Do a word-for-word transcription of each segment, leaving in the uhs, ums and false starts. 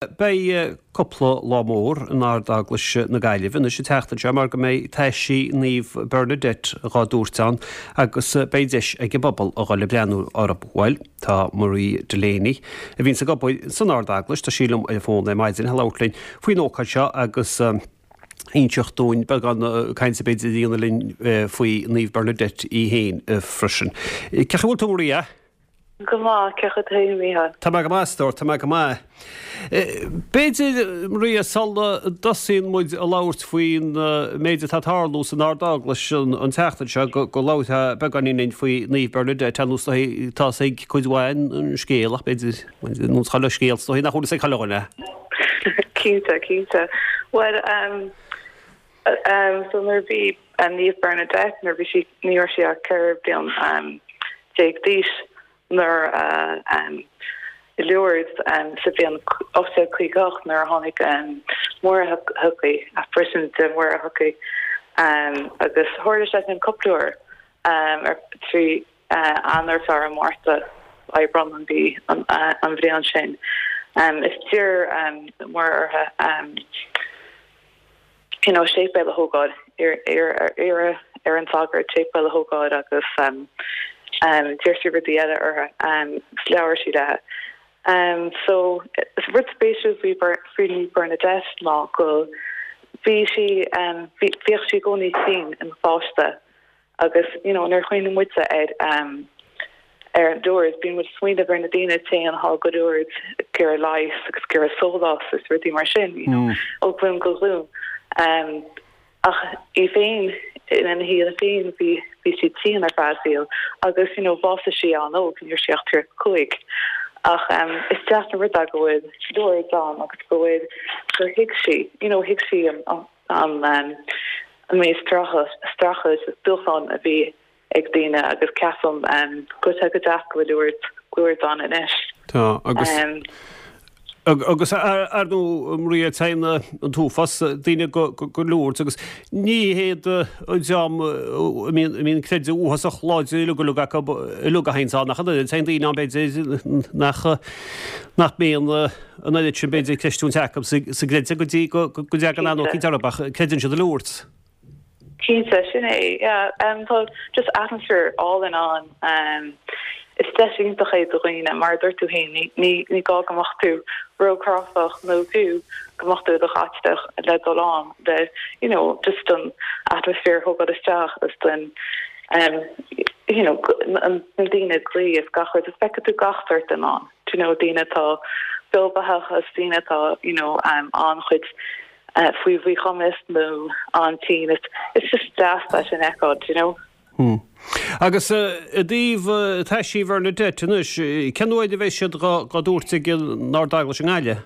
Beidh cúpla lá mór in Ard-Eaglais na Gaillimhe anois an tseachtain seo mar go mbeidh taisí Naomh Bernadette dhá dtabhairt ann agus beidh deis ag an bpobal a dhul ag breathnú orthu. Bhuel, tá Marie Delaney a bhíonns ag obair san Ard-Eaglais, tá sí liom ar an bhfón ar maidin le labhairt linn faoin ócáid seo agus inseacht dúinn beagán cainte b'fhéidir a dhéanamh linn faoi Naomh Bernadette í féin freisin. Cén chaoi a bhfuil tú Maria? Go maith, cén chaoi a Mícheál. Tá mé go maith, a stór, tá mé go maith. B'fhéidir Maria sula dtosaíonn muid a labhairt faoin méid atá ag tarlú san Ard-Eaglais an tseachtain seo go go labharfá beagáinín linn faoi Naomh Bernadette ar nós tá a fhios ag cuid mhaith an scéal ach b'fhéidir nó chuile scéal is dóigh nach bhfuil a fhios ag chuile dhuine. Cinnte, cinnte. Well um, um, so nuair bhí um, Naomh Bernadette nuair bhí sí ní raibh sí ach ceithre bliain um, déag d'aois nuair uh, um, i Lourdes um, sa bhliain ocht déag caoga ocht nuair a tháinig um, Muire chuici apparition de Mhuire chuici um, agus tharla sé sin cúpla uair um, ar trí uh, Eanáir Feabhra Márta Aibreán an bhí an, uh, an bhliain sin. Um, is d'iarr um, Muire uirthi um, you know, séipéal a thógáil ar ar an sagart séipéal a thógáil agus um, um, d'iarr sí rudaí eile uirthi um, labhair sí léi. Um, so is rud spéisiúil faoi faoi Bernadette ná go bhí sí um, bhíodh sí i gcónaí tinn ina pháiste agus you know, nuair a chuimhníonn muid ar um, ar an Lourdes bíonn muid ag smaoineamh ar na daoine tinn atá go Lourdes ag iarraidh leigheas agus ag iarraidh sólás is rudaí mar sin you know, mm. ó ghlúin go glúin. Um, ach í féin ina shaol féin bhí bhí sí tinn ar feadh a saoil agus you know, bhásaigh sí an-óg ní raibh sí ach tríocha cúig. Ach um, is deas an rud é go bhfuil Lourdes ann agus go bhfuil gur thuig sí you know, thuig sí an, an, an, um, an méid streachailt is dúshlán a bhí ag daoine agus ceapaim um, go go deas go bhfuil Lourdes Lourdes ann anois. Tá agus um, agus ar ndóigh Maria téann an t-uafás daoine go go Lourdes agus ní héad an dream a mbíonn creideamh uafásach láidir uilig uilig acu uilig a théann ann ach téann daoine ann b'fhéidir nach nach mbíonn an oiread sin b'fhéidir creistiúint acu sa gcreideamh go dtí go dtagann an ócáid orthu ach creideann siad i Lourdes. Cinnte sin é yeah, um, tá just atmaisféar álainn ann um, is deis iontach é do dhaoine mar dúirt tú féin ní ní gá go mbeadh tú róchráifeach nó fiú go mbeadh tú i do Chaitliceach le dul ann de you know just an atmaisféar thógáil isteach is den um, you know an na daoine ag guí is gach rud is feicfidh tú gach sórt duine ann you know daoine atá beobeathach is daoine atá you know um, an-chuid uh, faoi mhíchumas nó an-tinn it's, it's just deas leis an fheiceáil you know Hmm. Agus i dtaobh taisí Bhernadette anois, cén uair a bheidh siad dhá dtabhairt ag an Ard-Eaglais i nGaillimh?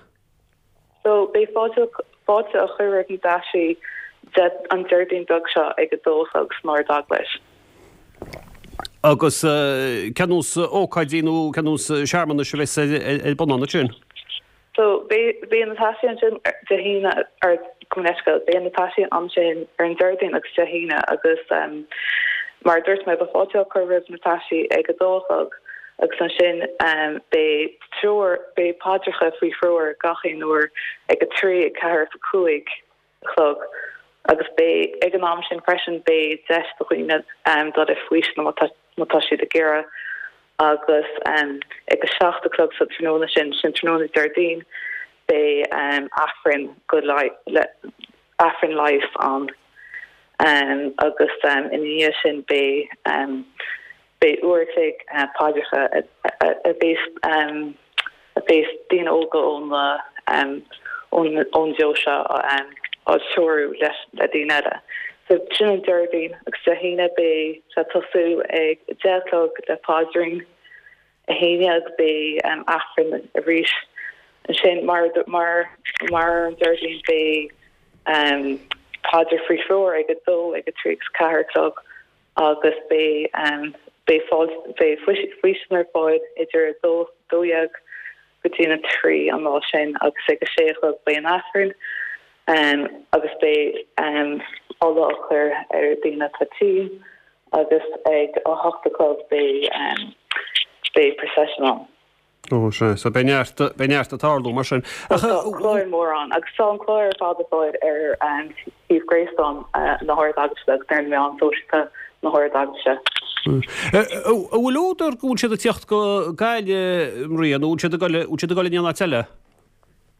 So beidh fáilte fáilte á chur roimh na taisí an Déardaoin beag seo ag a dó a chlog san Ard-Eaglais. Agus cén nós ócáidí nó cén nós searmanais a bheas ar bun ansin? So beidh na taisí ansin Dé hAoine ar gomneiscail, beidh na taisí ansin ar an Déardaoin agus Dé hAoine agus um, mar dúirt mé beidh fáilte á cur roimh na taisí ag a dó a chlog agus ansin um, beidh treoir beidh paidreacha faoi threoir gach aon uair ag a trí a ceathair a cúig a chlog agus beidh ag an am sin freisin beidh deis do dhaoine um, dul le faoiseamh má tá siad ag iarraidh agus um, ag a seacht a chlog sa tráthnóna sin sin tráthnóna Déardaoin beidh um, Aifreann go le Aifreann leighis ann um, agus um, ina dhiaidh sin beidh um, beidh uair a chloig uh, paidreacha a bheas um, a bheas daoine óga ón um, ón ón deoise um, á treorú leis le daoine eile. So sin an Déardaoin agus Dé hAoine beidh sé ag tosú ag deich a chlog le paidrín a haon déag beidh um, Aifreann arís ansin mar mar mar an Déardaoin beidh um, paidir faoi threoir ag a dó ag a trí agus ceathair a chlog agus beidh um, beidh beidh faoiseamh ar fáil idir a dó dó dhéag go dtí a trí an lá sin agus ag a sé a chlog beidh an Aifreann um, agus beidh um, ola á chur ar daoine atá tinn agus ag a hocht a chlog beidh um, beidh procession ann. Ó sea, so beidh neart, beidh neart ag tarlú mar sin. Ach tá clár mór ann agus tá an clár ar fad ar fáil ar an suíomh gréasáin na hArd-Eaglaise agus ar na meáin sóisialta na hArd-Eaglaise. An bhfuil údar go bhfuil siad ag teacht go Gaillimh, Maria, nó bhfuil siad ag dul, bhfuil siad ag dul in aon áit eile?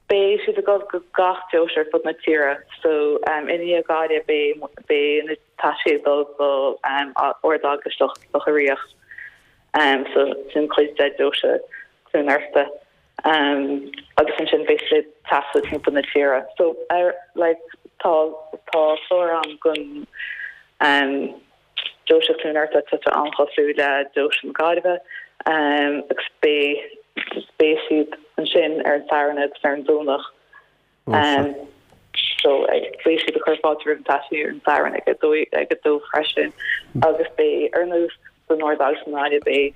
Beidh siad ag dul go gach deoise ar fud na tíre. So i ndiaidh Gaillimh beidh, beidh na taisí ag dul go Ard-Eaglais Locha Riach. So sin cuid de deoise Chluain Fhearta. Agus ansin beidh siad ag taisteal timpeall na tíre. So ar like tá tá clár ann don deoise Chluain Fhearta tá sé an-chosúil le deoise na Gaillimhe agus beidh beidh siad ansin ar an Satharn agus ar an Domhnach. So beidh siad ag cur fáilte roimh na taisí ar an Satharn ag a dó ag a dó freisin agus beidh ar nós san Ard-Eaglais i nGaillimh beidh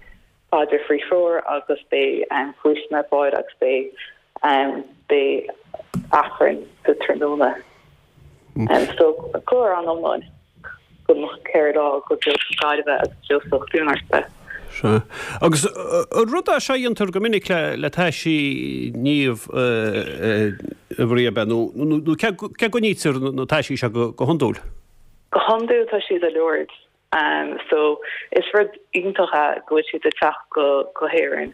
paidir faoi threoir agus beidh faoistin ar fáil agus beidh beidh Aifreann sa tráthnóna. So clár an-iomlán don cheithre lá go deoise na Gaillimhe agus deoise Chluain Fhearta. Sea. Agus an rud é seo a dhéantar go minic le le taisí naomh a Mharia ab ea nó nó cé cé go gcoinnítear na taisí seo go go hiondúil? Go hiondúil tá siad i Lourdes. So is rud iontach é go bhfuil siad ag teacht go go hÉirinn.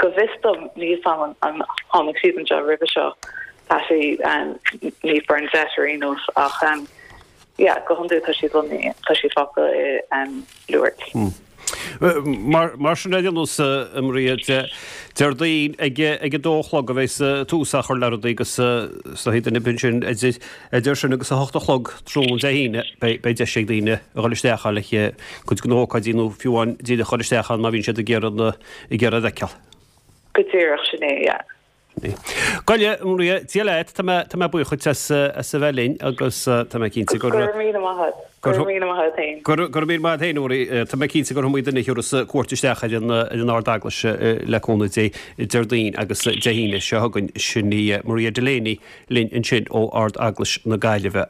Go bhfios dom níl 's a'm an tháinig siad anseo roimhe seo, taisí Naomh Bernadette ar aon nós ach yeah go hiondúil tá siad lonnaithe, tá siad fágtha i Lourdes. Mar mar sin ar aon nós a Mharia, Déardaoin ag ag a dó a chlog a bheas tús á chur le rudaí agus sa duine ansin idir idir sin agus a hocht a chlog tráthnóna Dé hAoine beidh beidh deis ag daoine a dhul isteach le cuid de na hócáidí nó fiú amháin díreach a dhul isteach ann má bhíonn siad ag iarraidh na ag iarraidh a fheiceáil. Go díreach, sin é, yeah. Go Maria, Dia leat, tá mé tá mé buíoch duit as as a bheith linn agus tá mé cinnte gur Go raibh míle maith agat. Go raibh míle maith agat féin. Go raibh míle maith agat féin, Maria. Tá mé cinnte gur iomaí duine a thiúrfas cuairt isteach ar an ar an Ard-Eaglais le cúnamh Dé Déardaoin agus Dé hAoine seo chugainn. Sin í Maria Delaney linn ansin ó Ard-Eaglais na Gaillimhe.